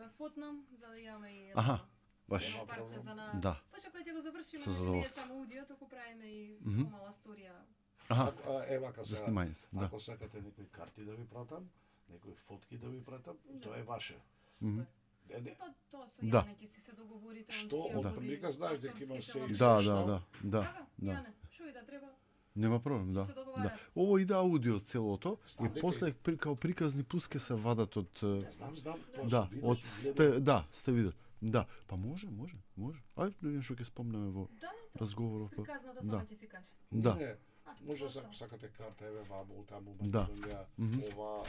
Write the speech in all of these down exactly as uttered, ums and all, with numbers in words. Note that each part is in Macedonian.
ме фотнам за да имаме и Аха, баш. едно парче за на. Да. Па што кога ќе го завршиме, Со не е задоволство. само аудио, туку правиме и Мгм. помала сторија. Аха, А, е, вака за сега, снимањето, да. ако сакате некои карти да ви пратам, некои фотки да ви пратам, тоа е ваше. Мгм. Не, не, Е, па тоа со Да. Јане ќе си се договорите. он Што, си ја од води прилика знаеш дека има авторските се и лаборатории. Да, се да, што? да, да, Така, да. Јане, шо и да треба. Нема проблем, Ќе да. се Да. договарат. Ово иде аудио целото Знам и дека после при, као приказни пуски се вадат од е, Не знам, знам, тоа да, се видиш, од гледам. сте, да, сте видели. Да, па може, може, може. Ајде да видиме што ќе спомнеме во Да, да. разговорот. па. Приказната Да. сама ќе си каже. Да. Не, А, може просто. ако сакате карта, еве ваму, таму, Да. Македонија, Мгм. ова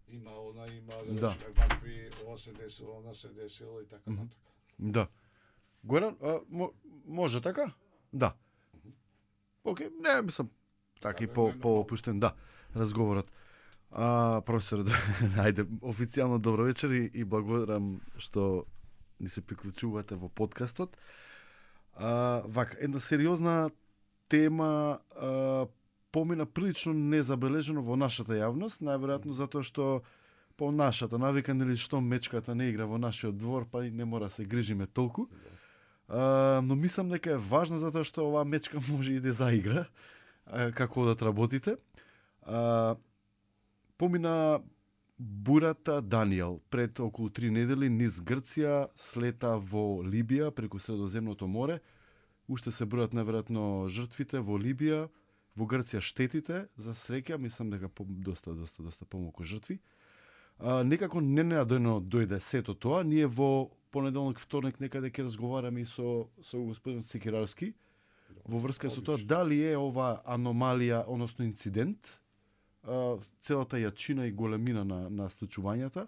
има, она има, да Да. речеме, вакви, ова се десило, она се десило и така Мгм. натака. Да. Горан, а, мо, може така? Да. Океј, не, мислам, така и Да, по, не, не, по опуштен, да, разговорот. А, професор, да, ајде, официјално добро вечер и, и благодарам што ни се приклучувате во подкастот. А, вака, една сериозна тема а, помина прилично незабележено во нашата јавност, најверојатно затоа што по нашата навика, нели што мечката не игра во нашиот двор, па и не мора да се грижиме толку. А, но мислам дека е важна затоа што оваа мечка може и да заигра а, како да работите. А, помина бурата Даниел пред околу три недели низ Грција, слета во Либија преку Средоземното море. Уште се бројат неверојатно жртвите во Либија, во Грција штетите, за среќа, мислам дека по, доста, доста, доста помалку жртви. А, некако ненадојно дојде сето тоа. Ние во понеделник, вторник некаде ќе разговараме и со, со господин Цикирарски во врска со тоа Одлично. дали е ова аномалија, односно инцидент, а, целата јачина и големина на, на случувањата,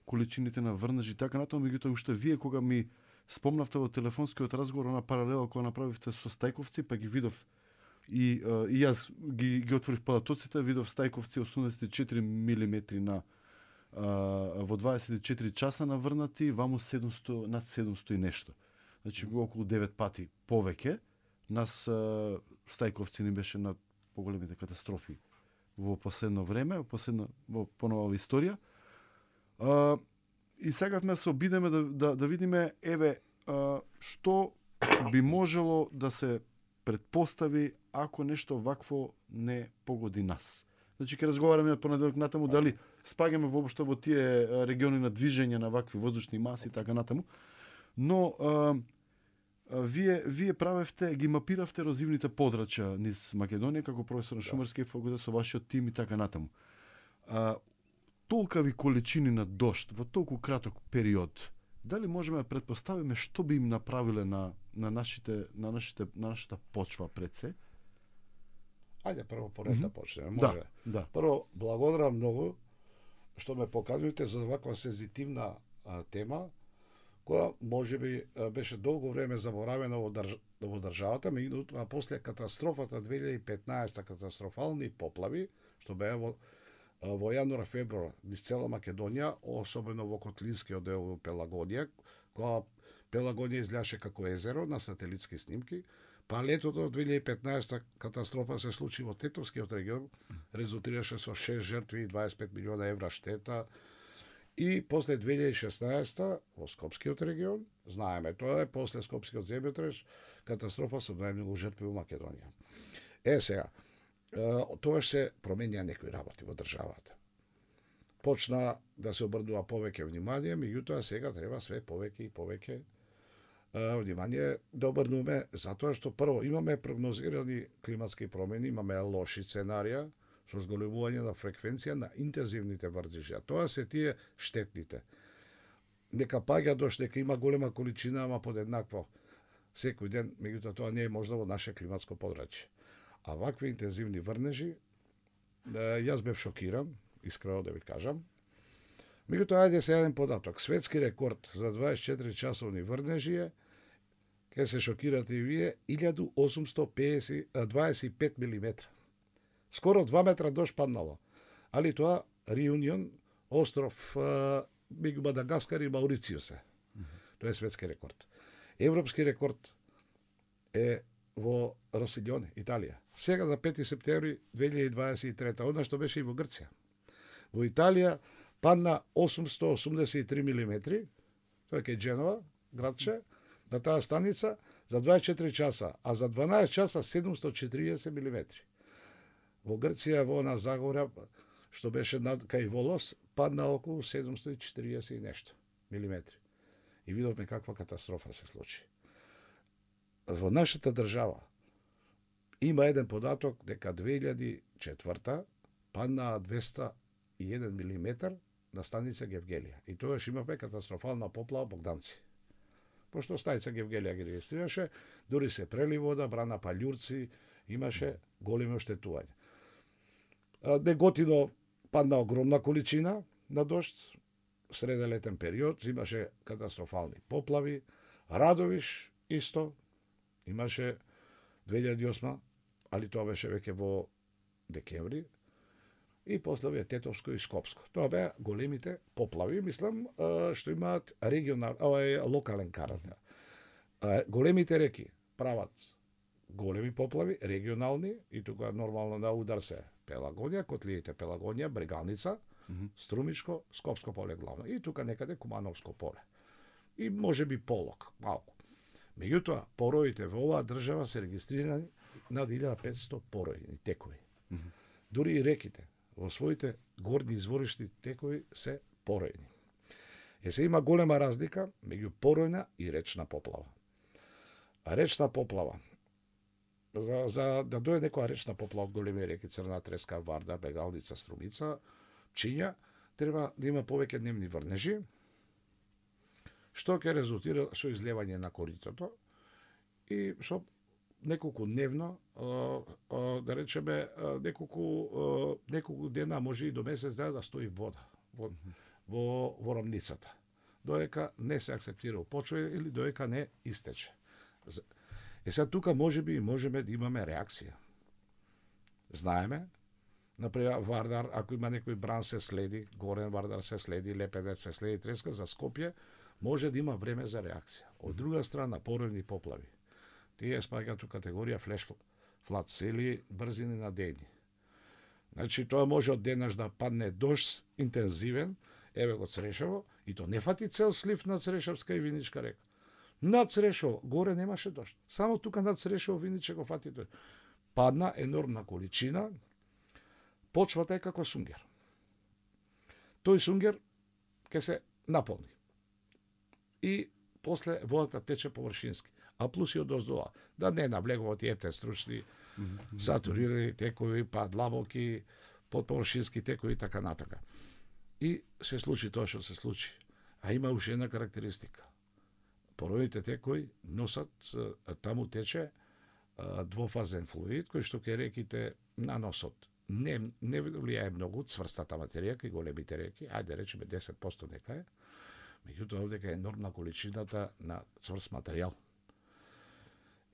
количините на врнежи и така натаму, меѓутоа уште вие кога ми спомнавте во телефонскиот разговор на паралела која направивте со Стајковци, па ги видов и, а, и јас ги, ги отворив палатоците, видов Стајковци осумдесет и четири милиметри на а, во дваесет и четири часа наврнати, ваму седумсто, над седумсто и нешто. Значи околу девет пати повеќе. Нас а, Стајковци ни беше на поголемите катастрофи во последно време, во последна во понова историја. А, и сакавме да се обидеме да, да, да видиме еве а, што би можело да се предпостави ако нешто вакво не погоди нас. Значи ќе разговараме од понеделник натаму дали спаѓаме воопшто во тие а, региони на движење на вакви воздушни маси и така натаму. Но а, а, вие вие правевте, ги мапиравте ерозивните подрачја низ Македонија како професор на Шумарски факултет со вашиот тим и така натаму. А, толкави количини на дожд во толку краток период, дали можеме да предпоставиме што би им направиле на на нашите на нашите на нашата почва пред се? Ајде прво по ред да почнеме, Да, може. да. Прво, благодарам многу што ме покажувате за ваква сензитивна а, тема, која можеби а, беше долго време заборавена во, држ... во државата, меѓутоа после катастрофата две илјади и петнаесета, катастрофални поплави, што беа во, а, во јануар февруар низ цела Македонија, особено во Котлинскиот дел во Пелагонија, која Пелагонија изгледаше како езеро на сателитски снимки. Па летото две илјади и петнаесета катастрофа се случи во Тетовскиот регион, резултираше со шест жртви и дваесет и пет милиона евра штета. И после две илјади и шеснаесета во Скопскиот регион, знаеме, тоа е после Скопскиот земјотрес, катастрофа со најмногу жртви во Македонија. Е сега, тоа се променија некои работи во државата. Почна да се обрнува повеќе внимание, меѓутоа сега треба све повеќе и повеќе внимание да обрнуваме, затоа што прво имаме прогнозирани климатски промени, имаме лоши сценарија со зголемување на фреквенција на интензивните врнежи. Тоа се тие штетните. Нека паѓа дожд, нека има голема количина, ама подеднакво секој ден, меѓутоа тоа не е можда во наше климатско подрачје. А вакви интензивни врнежи, јас бев шокиран, искрено да ви кажам. Меѓутоа, ајде се еден податок. Светски рекорд за дваесет и четири часовни врнежи е, ке се шокирате и вие, илјаду осумсто дваесет и пет милиметра. Скоро два метра дожд паднало. Али тоа Реунион, остров меѓу Мадагаскар и Маурицијус е. Тоа е светски рекорд. Европски рекорд е во Росиљоне, Италија. Сега на пети септември две илјади дваесет и трета, одна што беше и во Грција. Во Италија падна осумсто осумдесет и три милиметри, тоа е кај Дженова, градче, на таа станица, за дваесет и четири часа, а за дванаесет часа седумсто четириесет милиметри. Во Грција, во на Загора, што беше над кај Волос, падна околу седумсто и четириесет и нешто милиметри. И видовме каква катастрофа се случи. Во нашата држава има еден податок дека две илјади и четврта паднаа двеста и еден милиметар на станица Гевгелија. И тогаш имавме катастрофална поплава Богданци. Пошто станица Гевгелија ги регистрираше, дури се прели вода, брана палјурци, имаше големи оштетувања. Неготино падна огромна количина на дожд, среде летен период, имаше катастрофални поплави, Радовиш исто, имаше две илјади и осма, али тоа беше веќе во декември, и после ве Тетовско и Скопско. Тоа беа големите поплави, мислам, што имаат регионал, овај локален карактер. Големите реки прават големи поплави, регионални, и тука нормално на удар се Пелагонија, котлиите Пелагонија, Брегалница, mm -hmm. Струмичко, Скопско поле главно, и тука некаде Кумановско поле. И може би Полок, малку. Меѓутоа, пороите во оваа држава се регистрирани над илјада и петсто поројни текови. Mm -hmm. Дури и реките во своите горни изворишни текови се поројни. Е се има голема разлика меѓу поројна и речна поплава. А речна поплава, за, за да дојде некоја речна поплава од големи реки, Црна Треска, Вардар, Бегалница, Струмица, Пчиња, треба да има повеќе дневни врнежи, што ќе резултира со излевање на коритото и со неколку дневно, да речеме, неколку, неколку дена, може и до месец дена да стои вода во, во, во рамницата. Доека не се акцептира почва или доека не истече. Е сега тука може би можеме да имаме реакција. Знаеме, например, Вардар, ако има некој бран се следи, Горен Вардар се следи, Лепедец се следи, Треска, за Скопје, може да има време за реакција. Од друга страна, поројни поплави. Тие спаѓаат у категорија флеш флад сели, брзини на дејни. Значи, тоа може од денаш да падне дожд интензивен, еве го Црешево, и то не фати цел слив на Црешевска и Виничка река. Над Црешево, горе немаше дожд. Само тука над Црешево, Виниче го фати дожд. Падна енормна количина, почвата е како сунгер. Тој сунгер ќе се наполни. И после водата тече површински. А плюс и од оздола. Да не навлегува тие ептен стручни, сатурирани текови, па длабоки, подповршински текови и така натака. И се случи тоа што се случи. А има уште една карактеристика. Поројните текови носат, таму тече двофазен флуид, кој што ке реките на носот не, не влијае многу цврстата материја, кај големите реки, ајде речеме десет проценти нека е, меѓутоа овдека е енормна количината на цврст материјал.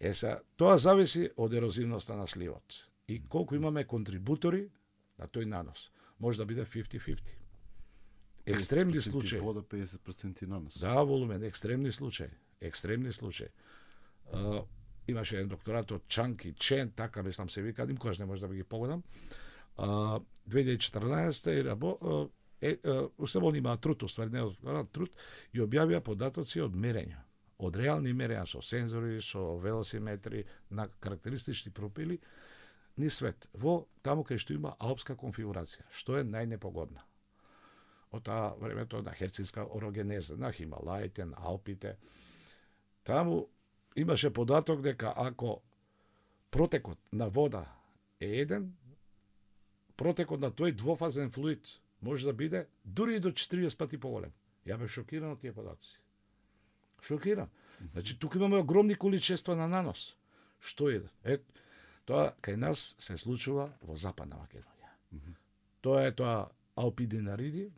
Е са, тоа зависи од ерозивноста на сливот. И колку имаме контрибутори на тој нанос. Може да биде фифти фифти. Екстремни случаи. Вода педесет проценти нанос. Да, волумен, екстремни случаи. Екстремни случаи. Uh, имаше еден докторат од Чанки Чен, така мислам се вика, никогаш не може да ги погодам. Uh, две илјади и четрнаесетта и рабо, uh, е, uh, уставон има труд, уствари не од труд, и објавија податоци од мерења. Од реални мерења со сензори, со велосиметри, на карактеристични профили, ни свет. Во таму кај што има алпска конфигурација, што е најнепогодна. Од таа времето на херцинска орогенеза, на Хималаите, на Алпите. Таму имаше податок дека ако протекот на вода е еден, протекот на тој двофазен флуид може да биде дури и до четириесет пати поголем. Ја бев шокиран од тие податоци. Шокиран. Значи, тука имаме огромни количества на нанос. Што е? Е, тоа кај нас се случува во Западна Македонија. Mm -hmm. Тоа е тоа Алпидинариди,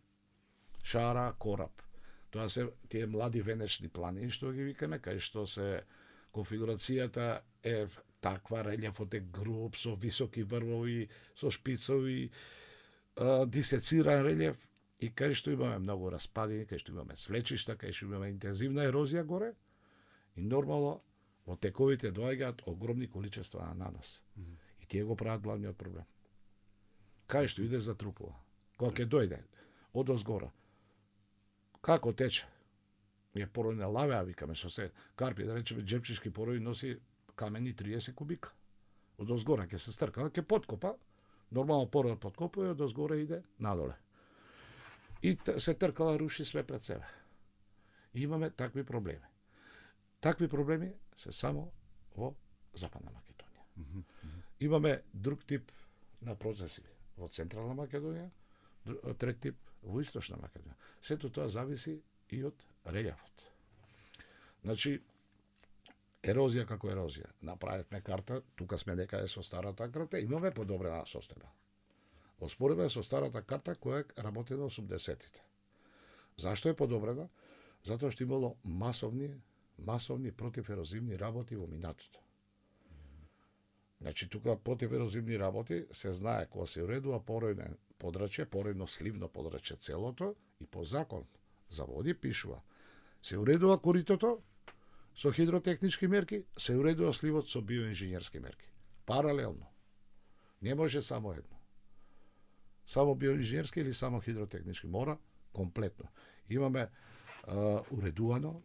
Шара, Кораб. Тоа се тие млади венечни планини, што ги викаме, кај што се конфигурацијата е таква, релјефот е груб, со високи врвови, со шпицови, дисециран релјеф, и кај што имаме многу распадини, кај што имаме свлечишта, кај што имаме интензивна ерозија горе, и нормално во тековите доаѓаат огромни количества на нанос. Mm -hmm. И тие го прават главниот проблем. Кај што иде затрупува. Кога ќе дојде одозгора. Како тече? Ние порој не лаве, а викаме со се карпи, да речеме джепчишки порој носи камени триесет кубика. Одозгора ќе се стрка, ќе поткопа, нормално порој подкопува и одозгора иде надоле. И се тркала, руши све пред себе. И имаме такви проблеми. Такви проблеми се само во Западна Македонија. Mm -hmm. Имаме друг тип на процеси во Централна Македонија, трет тип во Источна Македонија. Сето тоа зависи и од релјефот. Значи, ерозија како ерозија. Направивме карта, тука сме некаде со старата карта, имаме подобрена состојба. Оспоредба со старата карта која е работена осумдесетите. Зашто е подобрена? Затоа што имало масовни, масовни противерозивни работи во минатото. Значи, тука противерозивни работи се знае кога се уредува поројно подрачје, поројно сливно подрачје целото и по закон за води пишува се уредува коритото со хидротехнички мерки, се уредува сливот со биоинженерски мерки. Паралелно. Не може само едно. Само биоинженерски или само хидротехнички. Мора комплетно. Имаме а, уредувано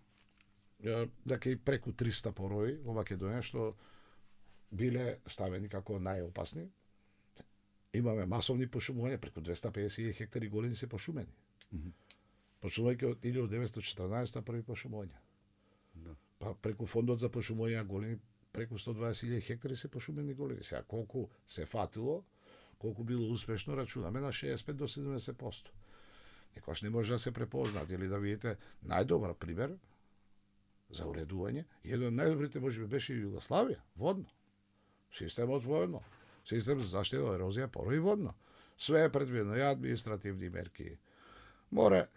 а, дека и преку триста порои во Македонија што биле ставени како најопасни. Имаме масовни пошумувања, преку двеста педесет хектари големи се пошумени. Mm -hmm. Почнувајќи од илјадум деветстотини и четрнаесетта први пошумувања. Да. Па преку фондот за пошумувања големи, преку сто дваесет илјади хектари се пошумени големи. Сега колку се фатило, колку било успешно, рачунаме на шеесет и пет до седумдесет проценти. Некојаш не може да се препознат или да видите најдобар пример за уредување. Еден од најдобрите можеби беше и Југославија, водно. Системот водно. Систем за заштита од ерозија, порој водно. Све е предвидено, и административни мерки. Море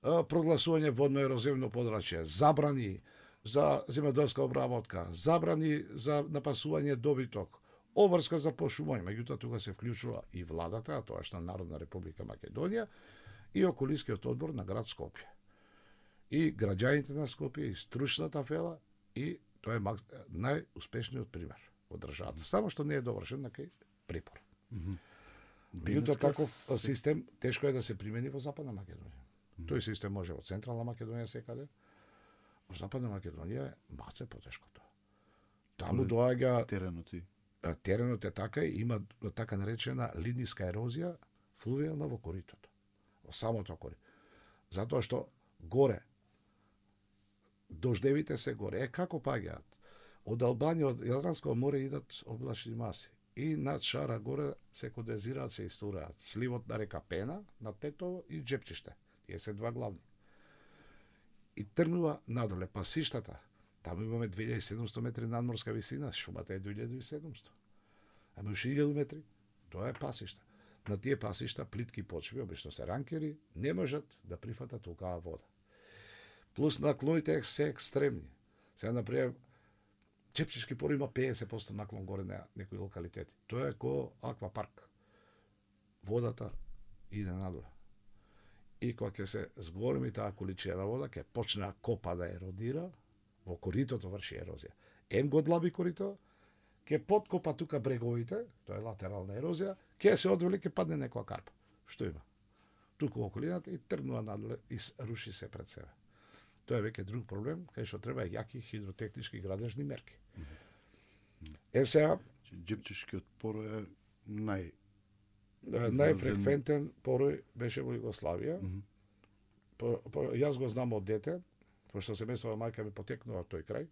прогласување водно ерозивно подрачје, забрани за земјоделска обработка, забрани за напасување добиток, обврска за пошумување, меѓутоа тука се вклучува и владата, а тоа што Народна република Македонија и околискиот одбор на град Скопје. И граѓаните на Скопје, и стручната фела, и тоа е најуспешниот пример во државата. Само што не е довршен на кај припор. Меѓутоа таков систем тешко е да се примени во Западна Македонија. Тој систем може во Централна Македонија секаде. Во Западна Македонија е маце потешко тоа. Таму доаѓа теренот и теренот е така и има така наречена линиска ерозија флувијална во коритото. Во самото корито. Затоа што горе дождевите се горе. Е како паѓаат? Од Албанија, од Јадранско море идат облачни маси. И над Шара горе се кондензираат, се истураат. Сливот на река Пена, над Тетово и Джепчиште. Тие се два главни. И тргнува надоле пасиштата. Таму имаме две илјади и седумсто метри надморска висина, шумата е до илјада и седумсто. Ама уште илјаду метри, тоа е пасишта. На тие пасишта плитки почви, обично се ранкери, не можат да прифатат толкава вода. Плюс наклоните се екстремни. Сега, например, Чепчишки пор има педесет проценти наклон горе на некои локалитети. Тоа е ко аквапарк. Водата иде надоле. И кога ќе се зголеми таа количина вода, ќе почне копа да еродира, во коритото врши ерозија. Ем го длаби корито, ќе подкопа тука бреговите, тоа е латерална ерозија, ќе се одвели, ќе падне некоја карпа. Што има? Туку во околината и тргнува надоле и руши се пред себе. Тоа е веќе друг проблем, кај што треба јаки хидротехнички градежни мерки. Е сега, Джепчишкиот порој е нај најфреквентен порој беше во Југославија. Mm -hmm. по, по, јас го знам од дете, пошто семејството мајка ми потекнува тој крај.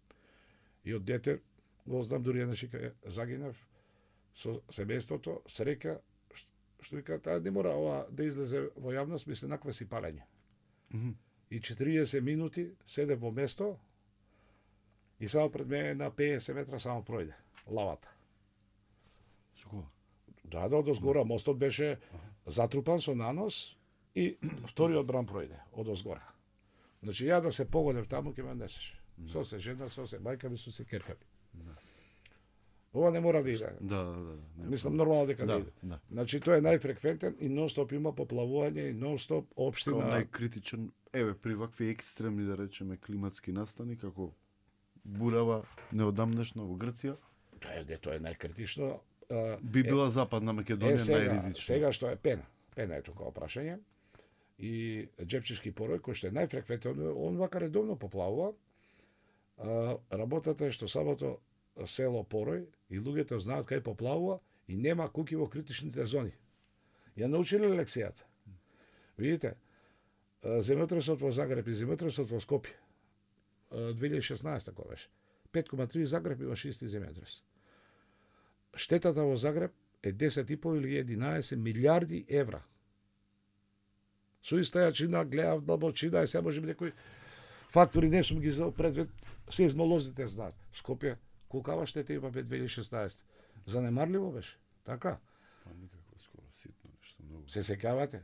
И од дете го знам, дури еднаш кога загинав со семејството, среќа што вика, таа не мора ова да излезе во јавност, мисли наква си палење. Mm -hmm. И четириесет минути седе во место и само пред мене на педесет метра само пројде лавата. Шо? Да, да, одозгора мостот беше затрупан со нанос и вториот бран пројде одозгора. Значи ја да се погодев таму ќе ме несеше. Со се жена, со се мајка ми, со се керка ми. Да. Ова не мора да иде. Да, да, да. Не, Мислам нормално дека да, да иде. Да. Значи тоа е најфреквентен и нон-стоп има поплавување и нон-стоп општина. Као најкритичен, еве при вакви екстремни да речеме климатски настани како бурава неодамнешна во Грција. Тоа е, тоа е најкритично. Би била е, Западна Македонија е, сега, најризична. Сега што е Пена. Пена е тука прашање. и џепчешки порој, кој што е најфреквентен, он вака редовно поплавува. А, работата е што самото село Порој и луѓето знаат кај поплавува и нема куки во критичните зони. Ја научиле лекцијата. Видите, земјотресот во Загреб и земјотресот во Скопје, две илјади и шеснаесета кога беше, пет кoma три Загреб имаше исти земјотрес. Штетата во Загреб е десет и по или единаесет милиарди евра. Со иста јачина гледав длабочина и се може би некои фактори не сум ги взел предвид, сеизмолозите знаат. Скопје колкава штета има бе две илјади и шеснаесета. Занемарливо беше, така? Па никако скоро ситно нешто многу. Се сеќавате?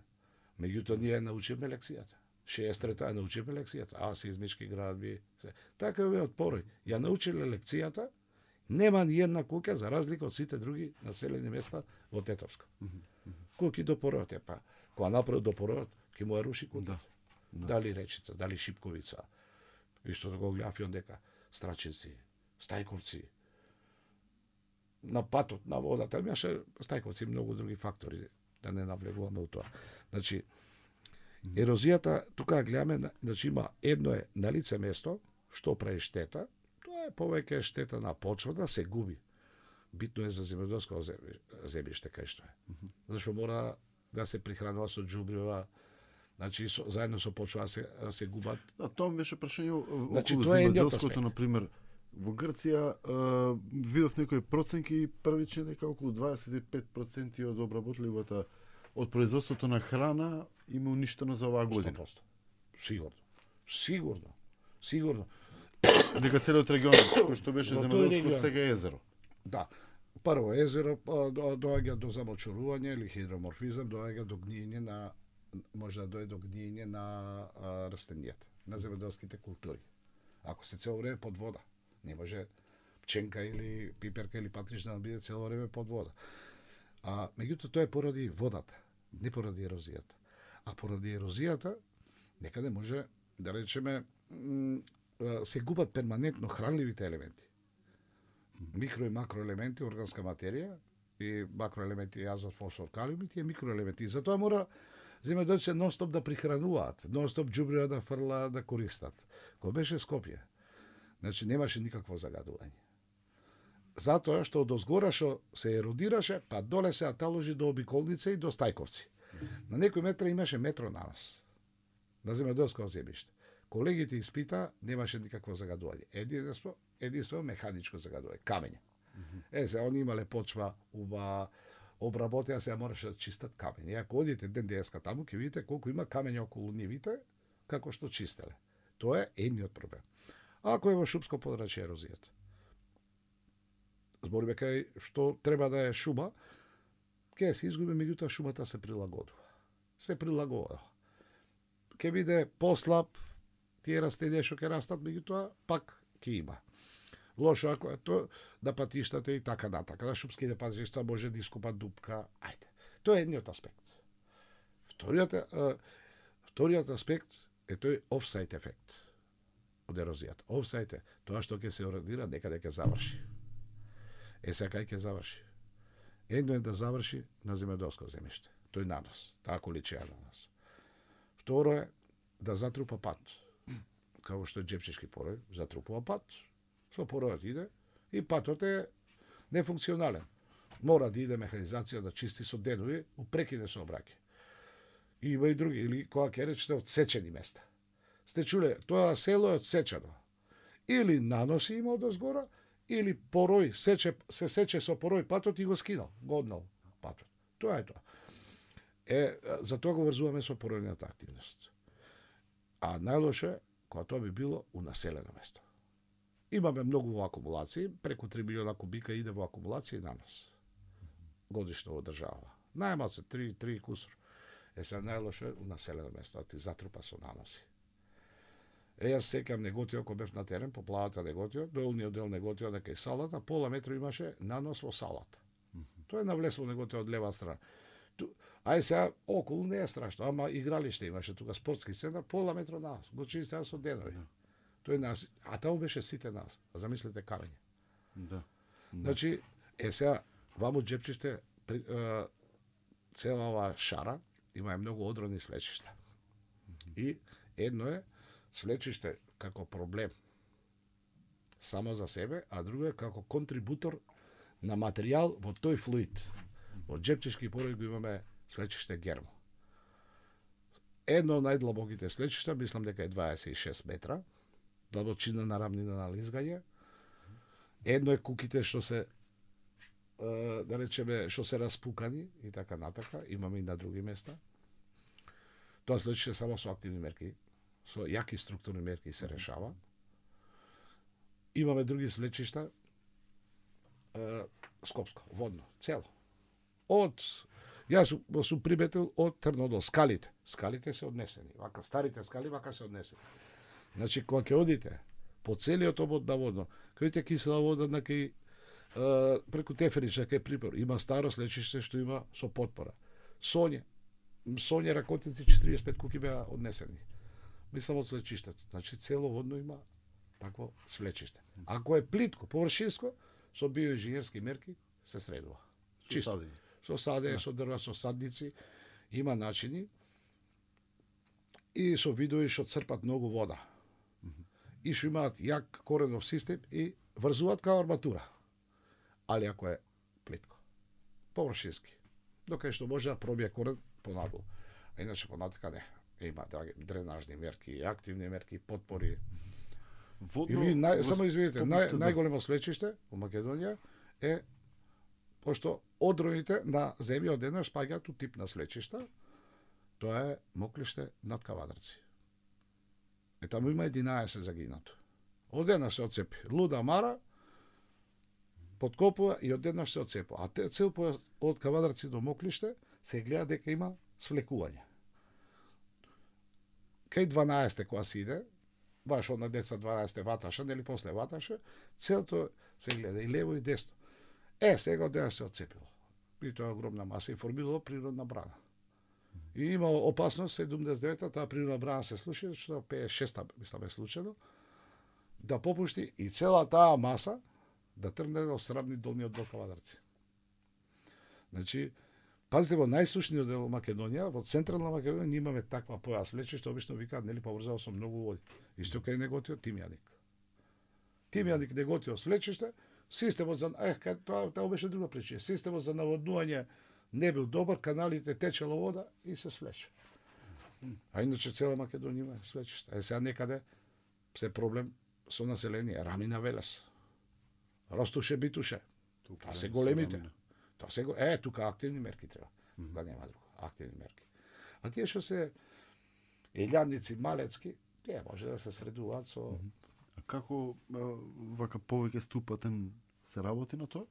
Меѓутоа ние научивме лекцијата. шеесет трета ја научивме лекцијата. А, сеизмички градби. Се. Така е од Порој. Ја научиле лекцијата, нема ни една куќа за разлика од сите други населени места во Тетовско. Mm -hmm. Куки до Поројот е па. Кога направи до Поројот, ќе му ја руши куќа. Да. Да. Дали Речица, дали Шипковица. Исто да го гледав и дека Страчинци, Стајковци, на патот, на водата, имаше Стајковци и многу други фактори, да не навлегуваме у тоа. Значи, ерозијата, тука гледаме, значи има едно е на лице место, што прави штета, тоа е повеќе штета на почвата, се губи. Битно е за земјоделско земјиште кај што е. Зашто мора да се прихранува со џубрива, значи со, заедно со почва се се губат. Да, тоа ми беше прашање Значи, околу тоа е земјоделското, на пример. Во Грција е, видов некои проценки првични дека околу дваесет и пет проценти од обработливата од производството на храна има уништено за оваа година. сто проценти. Сигурно. Сигурно. Сигурно. Дека целиот регион кој што беше Во тој земјоделско регион. сега е езеро. Да. Прво езеро па, до- доаѓа до замочурување или хидроморфизам, доаѓа до гниење на може да дојде до гниење на а, растенијата, на земјоделските култури. Ако се цело време под вода, не може пченка или пиперка или патрична да биде цело време под вода. А меѓутоа тоа е поради водата, не поради ерозијата. А поради ерозијата некаде може да речеме м, а, се губат перманентно хранливите елементи. Микро и макроелементи, органска материја и макроелементи азот, фосфор, калиум и тие микроелементи. И затоа мора земјоделците нонстоп да прихрануваат, нонстоп џубрива да фрла, да користат. Кога беше Скопје, значи немаше никакво загадување. Затоа што од озгора што се еродираше, па доле се аталожи до Обиколница и до Стајковци. На некој метра имаше метро на нас, на земјоделско земјиште. Колегите испита, немаше никакво загадување. Единство, единство механичко загадување, камење. Е, се, они имале почва, уба, обработија, се мораше да чистат камење. И ако одите ден денеска таму, ќе видите колку има камење околу нивите, како што чистеле. Тоа е едниот проблем. А ако е во шумско подрачје ерозијата? Збориме кај што треба да е шума, ќе се изгуби, меѓутоа шумата се прилагодува. Се прилагодува. Ќе биде послаб, тие растенија што ќе растат, меѓутоа пак ќе има. Лошо ако е тоа да патиштата и така натака, да шумските патишта може да искупат дупка, ајде. Тоа е едниот аспект. Вториот, е, вториот аспект е тој офсайт ефект од ерозијата. Офсайт е тоа што ќе се еродира, некаде ќе заврши. Е, сега кај ќе заврши? Едно е да заврши на земјоделско земјиште, тој нанос, таа количина нанос. Второ е да затрупа пат, како што е џепчешки порој, затрупува пат, со поројот иде и патот е нефункционален. Мора да иде механизација да чисти со денови, упрекиде сообраќај. И има и други, или кога ќе речете одсечени места. Сте чуле, тоа село е одсечено. Или наноси има од озгора, или порој сече, се сече со порој патот и го скинал, го однал патот. Тоа е тоа. Е, за тоа го врзуваме со поројната активност. А најлошо е кога тоа би било у населено место. Имаме многу во акумулации, преку три милиона кубика иде во акумулација и нанос. Годишно во држава. Најмал се три, три кусор. Е, се најлошо е у населено место, а ти затрупа со наноси. Е, јас секам Неготио, кога бев на терен, по плавата Неготио, долниот дел Неготио, дека и салата, пола метро имаше нанос во салата. Тоа е навлез во Неготио од лева страна. Ту, ај сега, околу не е страшно, ама игралиште имаше тука, спортски центар, пола метро нанос, го чистеа со денови. Тој нас, а таму беше сите нас, а замислете камење. Да. Значи, е сега, ваму џепчиште, цела оваа шара, има многу одрони свлечишта. И едно е свлечиште како проблем само за себе, а друго е како контрибутор на материјал во тој флуид. Во Джепчешки пород го имаме свлечиште гермо. Едно од најдлабоките свлечишта, мислам дека е дваесет и шест метра, длабочина на рамнина на лизгање. Едно е куките што се да речеме што се распукани и така натака, имаме и на други места. Тоа свлечиште само со активни мерки, со јаки структурни мерки се решава. Имаме други свлечишта, е, скопско, водно, цело. Од, јас сум, сум приметил од Трно до скалите. Скалите се однесени, вака старите скали вака се однесени. Значи, кога ќе одите по целиот обод на водно, кај кисела вода на кај преку Теферича кај Припор, има старо свлечиште што има со потпора. Соње, Соње Ракотици четириесет и пет куки беа однесени. Мислам од свлечиштето. Значи, цело водно има такво свлечиште. Ако е плитко, површинско, со биоинженерски мерки се средува. Чисто. Со саде, со дрва, со садници, има начини и со видови што црпат многу вода. И што имаат јак коренов систем и врзуваат као арматура. Али ако е плитко, површински, докај што може да пробие корен понадолу. А иначе понатака не. Има драги дренажни мерки, активни мерки, подпори. Водно, Или, нај, само извинете, нај, најголемо свлечиште во Македонија е, пошто одроните на земја одеднаш спаѓаат у тип на свлечишта, тоа е Моклиште над Кавадарци. Е, таму има единаесет загинато. Одеднаш се оцепи. Луда Мара, подкопува и одеднаш се оцепува. А те, цел појас од Кавадарци до Моклиште се гледа дека има свлекување. Кај дванаесет кога се иде, баш од на деца дванаесет ваташе, нели после ваташе, целото се гледа и лево и десно. Е, сега одеднаш се оцепило. И тоа е огромна маса и формирало природна брана. И има опасност седумдесет и девета таа природна брана се случи, што петдесет и шеста мислам е случено, да попушти и цела таа маса да тргне во срамни долниот дол Кавадарци. Значи, пазите, во најсушниот дел Македонија, во централна Македонија, ние имаме таква појас свлечиште, што обично викаат, нели, поврзано со многу води. Исто кај Неготио Тимјаник. Тимјаник Неготио свлечиште, системот за ех, тоа тоа беше друга причина. Системот за наводнување не бил добар, каналите течела вода и се свлече. А иначе цела Македонија има свлечиште. Е сега некаде се проблем со население, Рамина Велес. Ростуше Битуше. Тоа се големите. Тоа се го... Е, тука активни мерки треба. Mm -hmm. Да нема друго. Активни мерки. А тие што се елјадници, малецки, тие може да се средуваат со... Mm -hmm. А како вака повеќе ступатен се работи на тоа?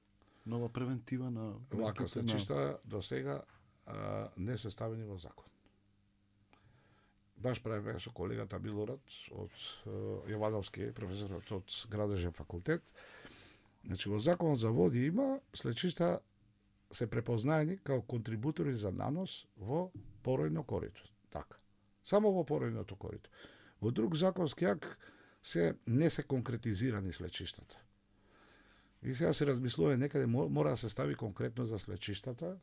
Нова превентива на... Вака свлечишта до сега а, не се ставени во закон. Баш правиме со колегата Милорад од Јовановски, професорот од Градежен факултет. Значи, во законот за води има свлечишта се препознаени као контрибутори за нанос во поројно корито. Така. Само во поројното корито. Во друг законски акт се не се конкретизирани свлечиштата. И сега се размислува некаде мора да се стави конкретно за свлечиштата.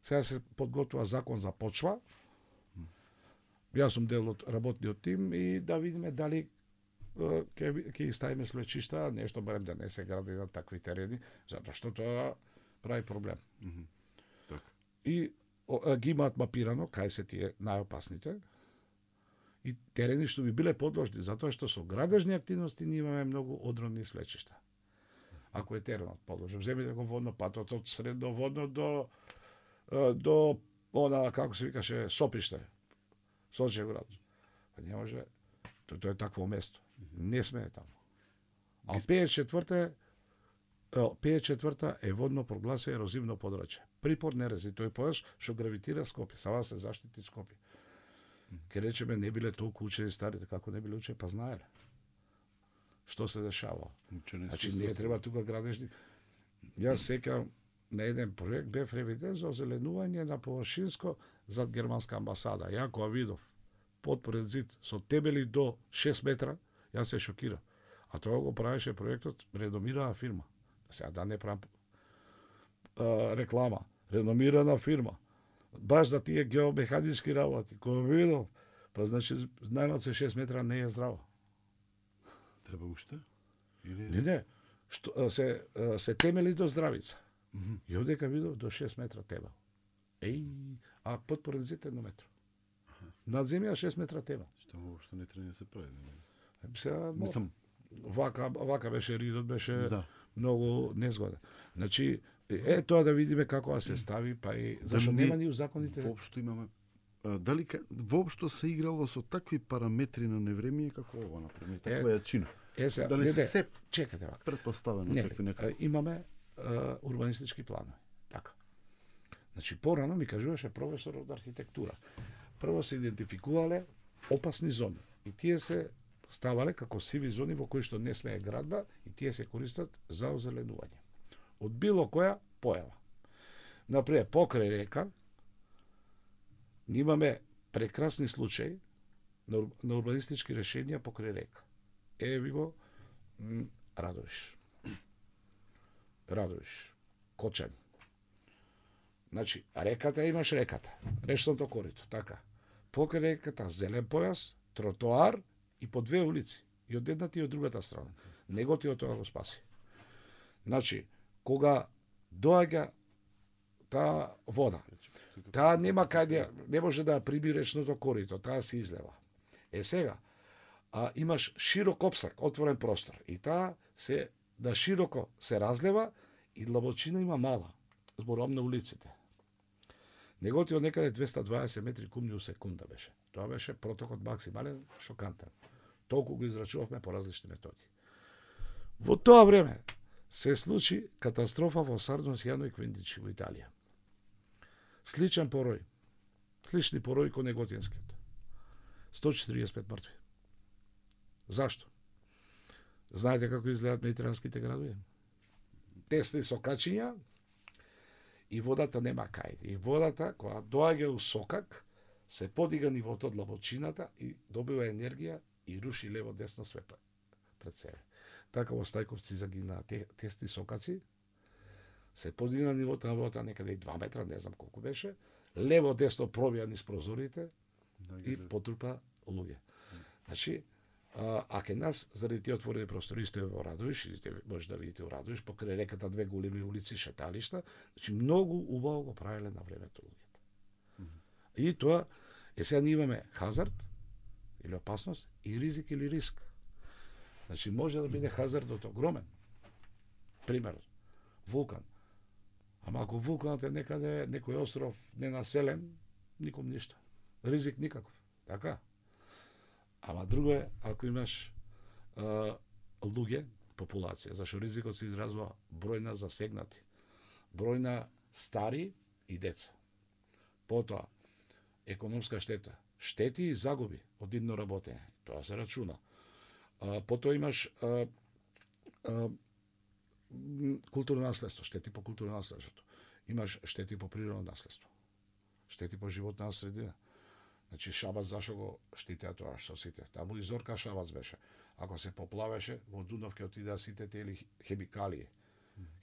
Сега се подготвува закон за почва. Јас сум дел од работниот тим и да видиме дали ќе ќе ставиме свлечишта, нешто барем да не се гради на такви терени, затоа што тоа прави проблем. Mm -hmm. Так. И о, ги имаат мапирано кај се тие најопасните и терени што би биле подложни, затоа што со градежни активности ние имаме многу одровни свлечишта. Ако е теренот подложен, земете го водно патот од средно водно до до она како се викаше Сопиште, Сочевград. А не може, тоа тоа е такво место. Не сме таму. А петдесет и четврта петдесет и четврта е водно прогласено ерозивно подрачје. Припор не рези тој појаш што гравитира Скопје, сама се заштити Скопје. Ке речеме не биле толку учени старите, како не биле учени, па знаеле што се дешавало. Значи не треба тука градежни. Јас сеќавам на еден проект бев ревиден за озеленување на површинско зад германска амбасада. Ја кога видов подпоред зид со тебели до шест метра, јас се шокирав. А тоа го правеше проектот реномирана фирма. Сега да не правам а, реклама. Реномирана фирма. Баш за тие геомеханички работи. Кога видов Па значи најмалку шест метра не е здраво. Треба уште? Или Не, не. Што се се темели до здравица. mm -hmm. И одека видов до шест метра темел. Еј, а под порензите едно метро. Над земја шест метра темел. Што воопшто не треба да се прави. Не? Сега, Мислам, вака, вака беше ридот, беше да. многу незгоден. Значи, е тоа да видиме како да се стави, па и зашто не- нема ни у законите. Воопшто имаме а, дали ка- воопшто се играло со такви параметри на невремие како ова, например, таква јачина. Е, сега, Дали не, не, се чекате вака. предпоставено Не, такви а, некои. имаме а, урбанистички планови. Така. Значи, порано ми кажуваше професор од архитектура. Прво се идентификувале опасни зони. И тие се ставале како сиви зони во кои што не смее градба и тие се користат за озеленување. Од било која појава. Например, покрај река, имаме прекрасни случаи на, ур- на урбанистички решенија покрај река. Еве ви го м, Радовиш. Радовиш. Кочањ. Значи, реката имаш реката, речното корито, така. Покрај реката зелен појас, тротоар и по две улици. И од едната и од другата страна. Него ти од тоа го спаси. Значи, кога доаѓа таа вода, таа нема каде, не може да ја приби речното корито, таа се излева. Е сега, а, имаш широк опсак, отворен простор, и таа се да широко се разлева и длабочина има мала, зборувам на улиците. Неготи од некаде двеста и дваесет метри кубни у секунда беше. Тоа беше протокот максимален, шокантен. Толку го израчувавме по различни методи. Во тоа време се случи катастрофа во Сарно, Сијано и Квиндичи во Италија. Сличен порој. Слични порој ко неготинскиот. сто четириесет и пет мртви. Зашто? Знаете како изгледат медитеранските градови? Тесни сокачиња и водата нема кај. И водата, кога доаѓа у сокак, се подига нивото од длабочината и добива енергија и руши лево десно све пред себе. Така во Стајковци загина те, тесни сокаци, се подигна нивото на водата некаде и два метра, не знам колку беше, лево десно пробија низ прозорите и потрупа луѓе. Значи, а, а ке нас, заради тие отворени простори, сте во Радовиш, и сте може да видите во Радовиш, покрај реката две големи улици, шеталишта, значи многу убаво го правеле на времето луѓето. Mm -hmm. И тоа, е сега ние имаме хазард, или опасност, и ризик или риск. Значи може да биде хазардот огромен. Пример, вулкан. Ама ако вулканот е некаде, некој остров ненаселен, ником ништо. Ризик никаков. Така? Ама друго е, ако имаш а, луѓе, популација, зашто ризикот се изразува број на засегнати, број на стари и деца. Потоа, економска штета, штети и загуби од идно работење, тоа се рачуна. А, потоа имаш а, а, културно наследство, штети по културно наследството. Имаш штети по природно наследство, штети по животна средина. Значи Шабац зашо го штитеа тоа што сите. Таму и Зорка Шабац беше. Ако се поплавеше, во Дунав ќе отидеа сите тие хемикалии.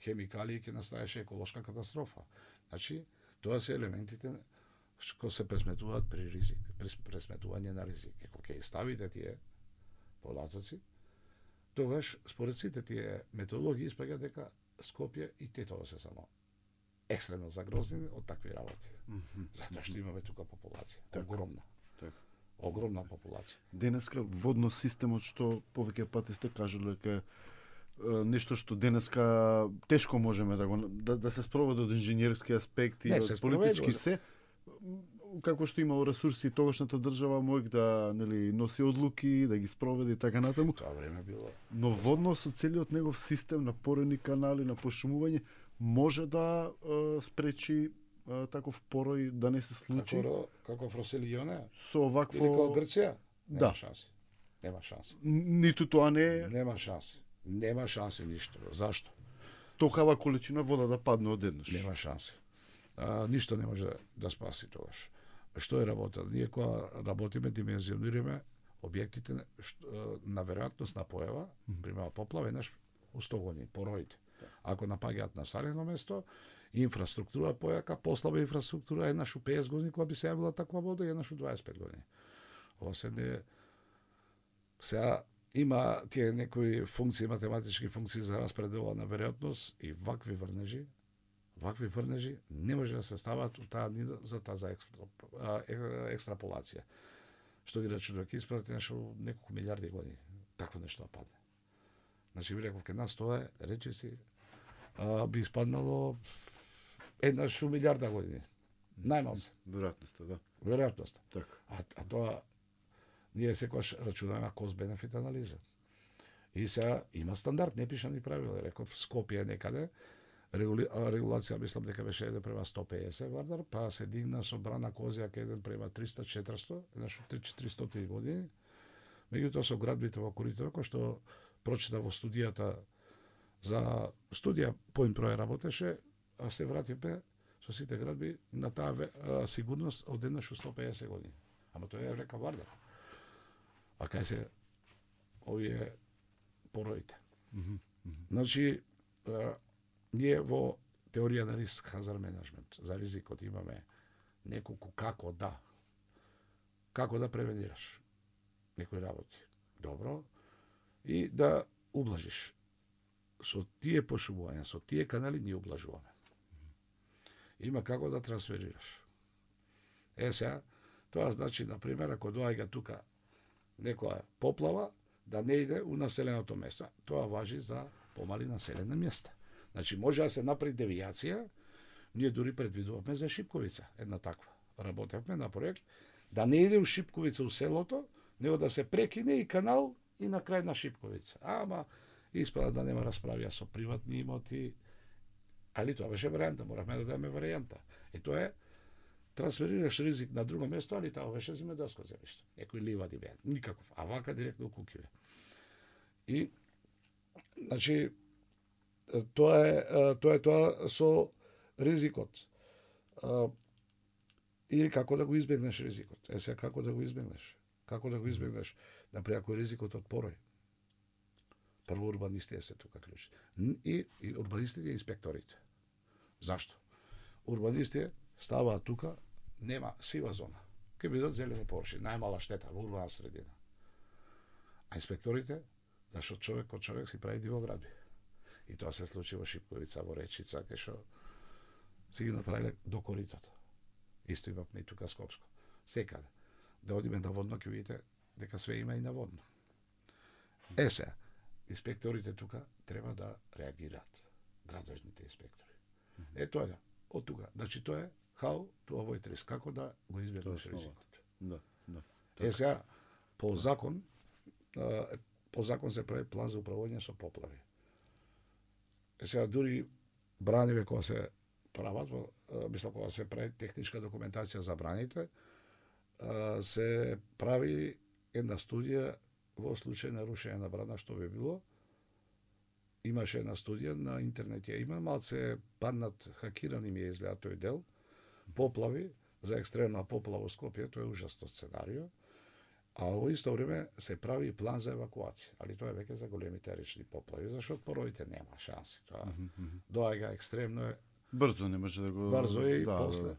Хемикалии ќе настаеше еколошка катастрофа. Значи, тоа се елементите што се пресметуваат при ризик, при пресметување на ризик. Ако ќе ставите тие податоци, тогаш според сите тие методологии испаѓа дека Скопје и Тетово се само екстремно загрозени од такви работи. Mm -hmm. Затоа што имаме тука популација. Так. Огромна. Так. Огромна популација. Денеска водно системот што повеќе пати сте кажале дека нешто што денеска тешко можеме да го да, да се спроведе од инженерски аспекти, Не, од се политички спроведува. се, како што имало ресурси тогашната држава мојк да нели носи одлуки, да ги спроведе и така натаму. Тоа време било. Но водно со целиот негов систем на порени канали, на пошумување може да е, спречи е, таков порој да не се случи Како како Фроселионе со или овакво како Грција? Нема Да. шанси. Нема шанси. ниту тоа не е Нема шанси. Нема шанси ништо. Зашто? токава количина вода да падне одеднаш. Нема шанси. А, ништо не може да спаси тогаш. Што е работа? Ние кога работиме, димензионираме објектите што, на веројатност на појава, пример поплава, еднаш у сто години, пороите. Ако напаѓаат населено место, инфраструктура појака, послаба инфраструктура, еднаш у песет години кога би се јавила таква вода, и еднаш у дваесет и пет години. Ова се не сега има тие некои функции, математички функции за распределува на веројатност и вакви врнежи, вакви врнежи не може да се стават у таа за таа за екстраполација. Што ги рачунува ќе испрати нешто неколку милиарди години. Такво нешто да падне. Значи ви реков, ке нас тоа е, речи си, а, би испаднало еднаш у милиарда години. Најмалце. Веројатноста, да. Веројатноста. Така. А, а тоа ние секогаш рачунаме кост-бенефит анализа. И сега има стандард, не пиша ни правила. Реков, Скопје некаде, регули... регулација, мислам дека беше еден према сто педесет вардар, па се дигна со Брана Козјак еден према триста четиристо, еднаш од три-четиристотини години. Меѓутоа со градбите во коридор, кој што прочита во студијата за студија Point Pro работеше, а се вративме со сите градби на таа а, сигурност од еднаш у сто педесет години. Ама тоа е река Вардар. А кај се овие пороите. Mm -hmm. Значи, а, ние во теорија на риск хазар менеджмент за ризикот имаме неколку како да како да превенираш некои работи. Добро. И да ублажиш. Со тие пошумувања, со тие канали ние ублажуваме. Има како да трансферираш. Е сега, тоа значи, например, ако доаѓа тука некоја поплава, да не иде у населеното место. Тоа важи за помали населени места. Значи, може да се направи девијација, ние дури предвидувавме за Шипковица, една таква. Работевме на проект, да не иде у Шипковица у селото, него да се прекине и канал и на крај на Шипковица. Ама, испада да нема расправија со приватни имоти, али тоа беше варијанта, моравме да дадеме варијанта. И тоа е, трансферираш ризик на друго место, али тоа беше земјоделско земјиште. Некои ливади беа, никаков, а вака директно у куќиве. И, значи, тоа е тоа е тоа со ризикот. Или како да го избегнеш ризикот. Е сега како да го избегнеш? Како да го избегнеш? Например, ако е ризикот од порој. Прво урбанистите се тука клучи. И, и урбанистите и инспекторите. Зашто? Урбанистите ставаат тука, нема сива зона. Ке бидат зелени површини, најмала штета во урбана средина. А инспекторите, зашто човек од човек си прави дивоградби. И тоа се случи во Шипковица, во Речица, кај што си ги направиле до коритото. Исто имавме и тука Скопско. Секаде. Да одиме на водно, ќе видите дека све има и на водно. Е сега, инспекторите тука треба да реагираат. Градажните инспектори. Е тоа е, од тука. Значи тоа е how to avoid risk. Како да го избегнеш ризикот. Да, да. Е сега, по закон, по закон се прави план за управување со поплави. Е сега, дури браниве кога се прават, мислам кога се прави техничка документација за браните, се прави една студија во случај на рушење на брана, што би било. Имаше една студија на интернет, ја има, малце паднат, хакирани ми е изгледа тој дел, поплави, за екстремна поплава во Скопје, тоа е ужасно сценарио, а во исто време се прави план за евакуација, али тоа е веќе за големите речни поплави, зашто пороите нема шанси, тоа mm -hmm. доаѓа екстремно е, брзо не може да го брзо е и да, после. Да, да.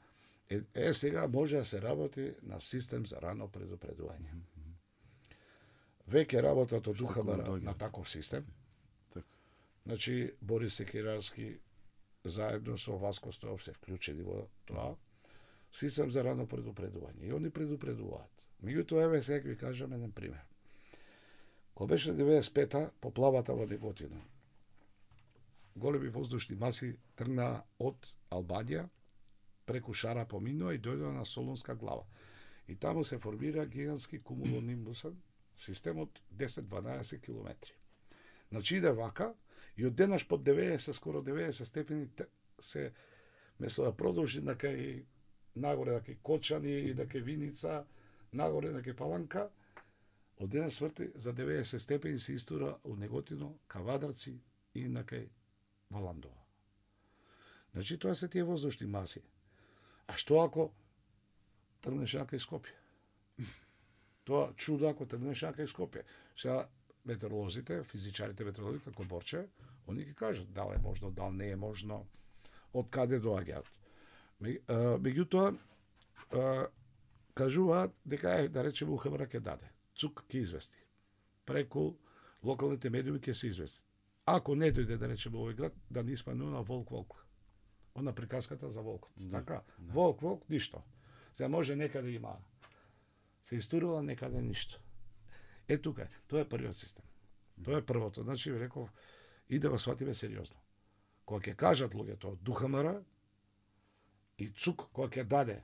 Е, е, сега може да се работи на систем за рано предупредување. Mm -hmm. Веќе работат од УХБР на таков систем. Так. Значи, Борис Секирарски заедно со Васко Стојов се вклучени во тоа. Систем за рано предупредување. И они предупредуваат. Меѓутоа, еве сега ви кажам еден пример. Кога беше деветдесет и пета поплавата во Неготино, големи воздушни маси тргнаа од Албанија, преку Шара поминува и дојдоа на Солунска глава. И таму се формира гигантски кумулонимбусен системот десет-дванаесет километри. Значи иде вака и од денаш под деветдесет, скоро деветдесет степени се, место да продолжи на кај нагоре на кај Кочани и на кај Виница, нагоре на кај Паланка, од денаш сврти за деветдесет степени се истура од Неготино, ка Вадарци и на кај Валандова. Значи тоа се тие воздушни маси. А што ако тргнеш кај Скопје? Тоа чудо ако тргнеш кај Скопје. Сега метеоролозите, физичарите метеоролози како Борче, они ќе кажат дали е можно, дали не е можно, од каде доаѓаат. Меѓутоа, кажуваат дека е, да речеме, УХВР ќе даде. ЦУК ќе извести. Преку локалните медиуми ќе се извести. Ако не дојде, да речеме, овој град, да не испанува Волк Волк. Она приказката за волкот. Да, Така, да. Волк Волк, ништо. Се може некаде има. Се истурила некаде ништо. Е тука, е. Тоа е првиот систем. Тоа е првото. Значи, ви реков, и да го сватиме сериозно. Кога ќе кажат луѓето од ДУХМР и ЦУК, кога ќе даде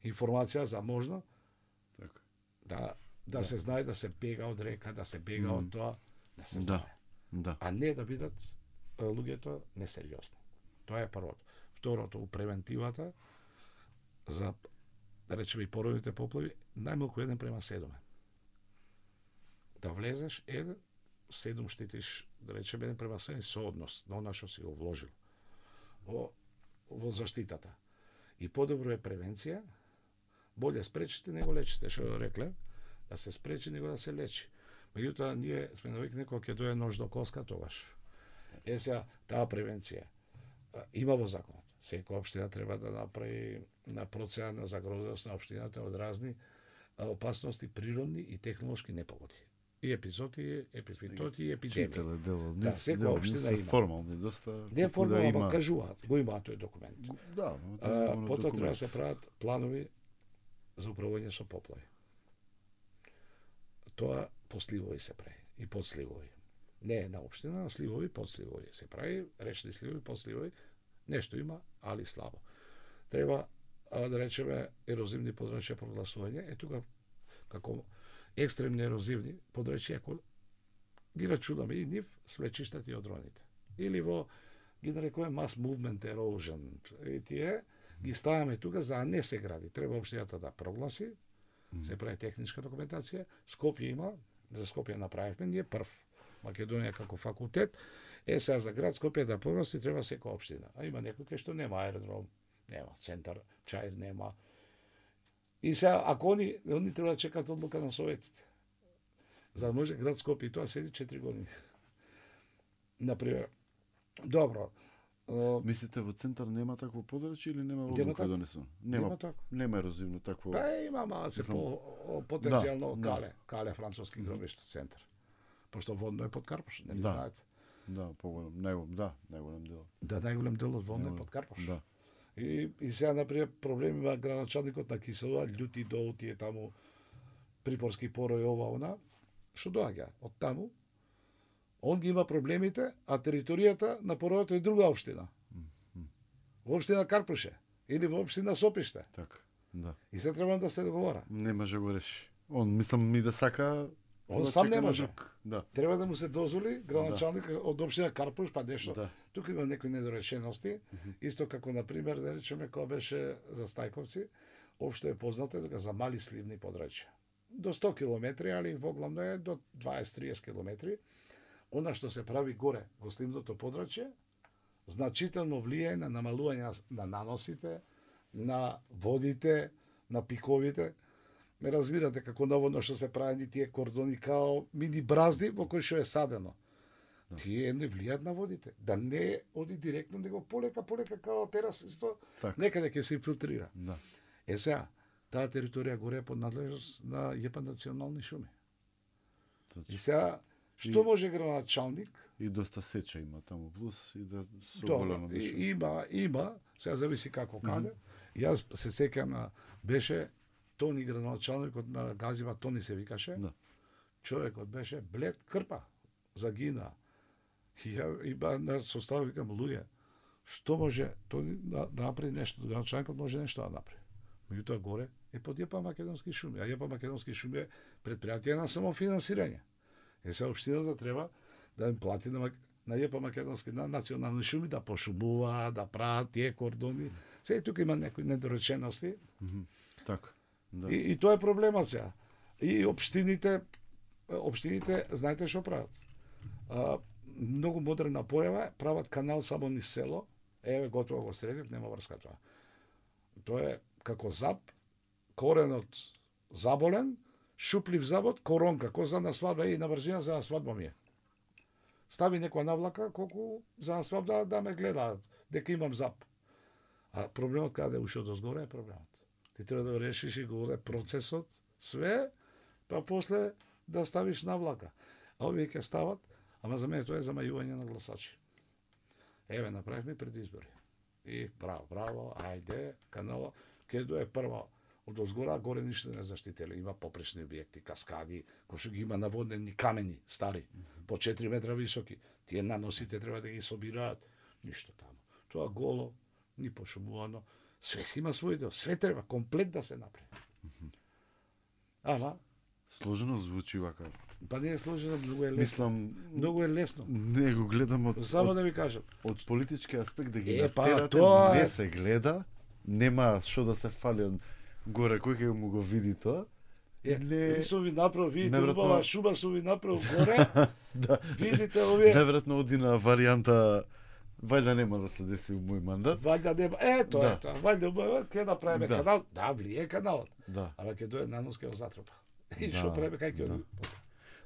информација за можно, Така. да, да, Да. се знае, да се бега од река, да се бега Мм. од тоа, да се Да. знае. Да. А не да бидат е, луѓето несериозни. Тоа е првото. Второто, у превентивата, за, да речеме, и породните поплави, најмалку еден према седум. Да влезеш еден, седум штитиш, да речеме, еден према седум со однос на она што си го вложил во, во заштитата. И подобро е превенција, боле спречите него лечите, што рекле, да се спречи него да се лечи. Меѓутоа, ние сме навикнати кога ќе дојде нож до коска, тогаш. Е сега, таа превенција а, има во законот. Секоја општина треба да направи на процена на загрозеност на општината од разни а, опасности природни и технолошки непогоди. И епизоди, епизоди и епидемии. Читале дел од Да, нив, секоја дел од општина нив се има. формални, доста. Не колку формално, да ама има. кажуваат, го има тој документ. Да, А, потоа треба да се прават планови за управување со поплави. Тоа по сливови се прави и подсливови. Не една општина, сливови, подсливови се прави, речни сливови, подсливови, нешто има, али слабо. Треба, а, да речеме, ерозивни подрачја прогласување, е тука како екстремни ерозивни подрачја, ако ги рачунаме и нив, свлечиштата и одроните. Или во, ги нарекуваме mass movement erosion, и тие ги ставаме тука за да не се гради. Треба општината да прогласи, се прави техничка документација. Скопје има, за Скопје направивме ние прв. Македонија како факултет, е сега за град Скопје да прогласи треба секоја општина. А има некои кај што нема аеродром, нема центар, чаир нема. И сега ако они, они треба да чекат одлука на советите. За да може град Скопје, и тоа седи четири години. Например, добро, Uh, Мислите во центар нема такво подрачје или нема Нема одлука тако. донесено? Нема, нема така. нема ерозивно такво. Па има малце Мислам, по о, потенцијално да, кале, кале француски гробишта центар. Пошто водно е под Карпош, нели Да. знаете? Да, поголем, најголем, да, најголем дел. Да, најголем дел од водно е Најголем, под Карпош. Да. И, и сега, например, проблем има градоначалникот на Киселова, љути до тие таму припорски порој ова она, што доаѓа од таму. Он ги има проблемите, а територијата на поројот е друга општина. Во општина Карпуше или во општина Сопиште. Така, да. И се треба да се договора. Не може го реши. Он, мислам, ми да сака... Он да сам чека не на може. друг. Да. Треба да му се дозволи градоначалник од општина Карпуш, па нешто. Да. Тука има некои недоречености, исто како на пример да речеме кога беше за Стајковци, општо е познато дека за мали сливни подрачја. До сто километри, али воглавно е до дваесет до триесет километри. Она што се прави горе во сливното подрачје, значително влијае на намалување на наносите, на водите, на пиковите. Ме разбирате како наводно што се правени тие кордони као мини бразди во кои што е садено. Да. Тие не влијаат на водите. Да не оди директно, него полека, полека као терас, исто, Така. некаде ќе се инфилтрира. Да. Е сега, таа територија горе е под надлежност на ЈП национални шуми. И Точно. сега, што И- може градоначалник? И доста сеча има таму плюс и да со Добро, голема и, мишума. има, има, сега зависи како каде. Јас се сеќам на, беше Тони градоначалникот на Газива, Тони се викаше. Да. Човекот беше блед крпа, загина. И ја и ба на состав викам луѓе, што може Тони да, да направи нешто, градоначалникот може нешто да направи. Меѓутоа горе е под ЈП Македонски шуми, а ЈП Македонски шуми е предпријатие на самофинансирање. Е сега општината треба да им плати на, Мак- на ЈП Македонски на национални шуми да пошумува, да прават тие кордони. Сега тука има некои недоречености. Мгм. Така. Да. И, и тоа е проблемот сега. И општините, општините, знаете што прават? А, многу модерна појава, е, прават канал само низ село, еве готово го средив, нема врска тоа. Тоа е како зап, коренот заболен, шуплив забот, коронка, кој за на свадба и на брзина за на свадба ми е. Стави некоја навлака, колку за на свадба да ме гледаат, дека имам зап. А проблемот каде уште дозгоре е проблемот. Ти треба да го решиш и го процесот, све, па после да ставиш на влака. А овие ќе стават, ама за мене тоа е замајување на гласачи. Еве, направивме предизбори. И браво, браво, ајде, канала, каде е прва од озгора, горе ништо не заштителе. Има попречни објекти, каскади, кои што ги има наводнени камени, стари, по четири метра високи. Тие наносите треба да ги собираат. Ништо таму. Тоа голо, ни пошумувано. Све си има свој дел. Све треба комплет да се направи. Ама, Сложено звучи вака. па не е сложено, многу е лесно. Мислам, Многу е лесно. не го гледам од, Само од, да ви кажам. од политички аспект да ги Е, па, натерате, тоа е- не се гледа, нема што да се фали од горе, кој ќе му го види тоа. Е, Не- не... сум ви направил, видите, Неверојатно- убава шума сум ви направил горе, Да. видите овие, Неверојатно оди на варијанта вајда нема да се деси у мој мандат. вајда нема, е, тоа Да. е тоа, вајда убава, ќе направиме Да. канал, да, влие каналот, Да. ама ќе дојде нанос ќе го затрпа. И Да, што правиме, кај ќе да. оди?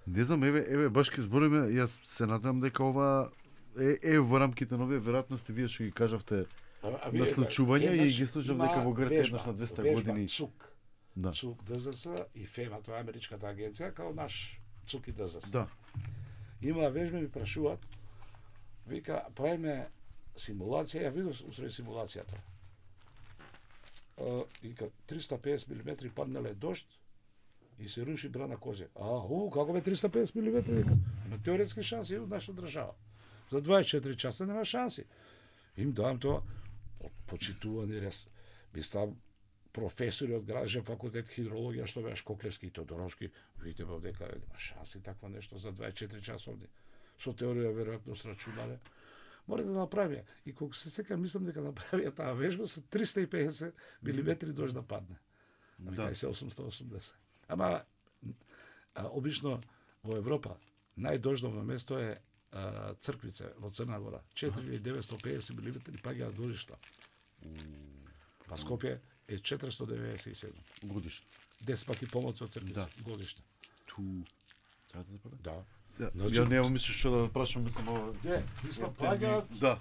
Не знам, еве, еве баш ке збориме, јас се надам дека ова е, е во рамките на овие веројатности вие што ги кажавте. А, а На случувања и еднаш ги слушав има дека во Грција вежба, еднаш на двесте вежба, години. ЦУК, Да. ЦУК ДЗС и ФЕМА, тоа е америчката агенција, као наш ЦУК и ДЗС. Да. Има вежби, ми прашуваат, вика, правиме симулација, ја видов устрои симулацијата. Uh, вика, триста и педесет милиметри паднале дожд и се руши брана Козјак. А, у, како бе триста и педесет милиметри? Вика, има теоретски шанси од наша држава. За дваесет и четири часа нема шанси. Им давам тоа, почитувани, рес, би став професори од Градежен факултет хидрологија, што беа Шкоклевски и Тодоровски, видите во дека нема шанси такво нешто за дваесет и четири часовни. Со теорија веројатно срачунале. Мора да направија. И кога се сека, мислам дека направија таа вежба со триста и педесет милиметри дожд да падне. Ами Да. кај се осумстотини и осумдесет. Ама, а, обично во Европа најдождовно место е а, Црквице во Црна Гора. четири илјади деветстотини и педесет милиметри паѓаат годишно. Па Скопје е четиристотини и деветдесет и седум. Годишно. десет пати помоци од Црквице Да. годишно. Ту. Треба да запалам? Да. Да. Значи- Ја нема мислиш што да прашам, мислам ова. Де, мислам Термин. паѓаат Да.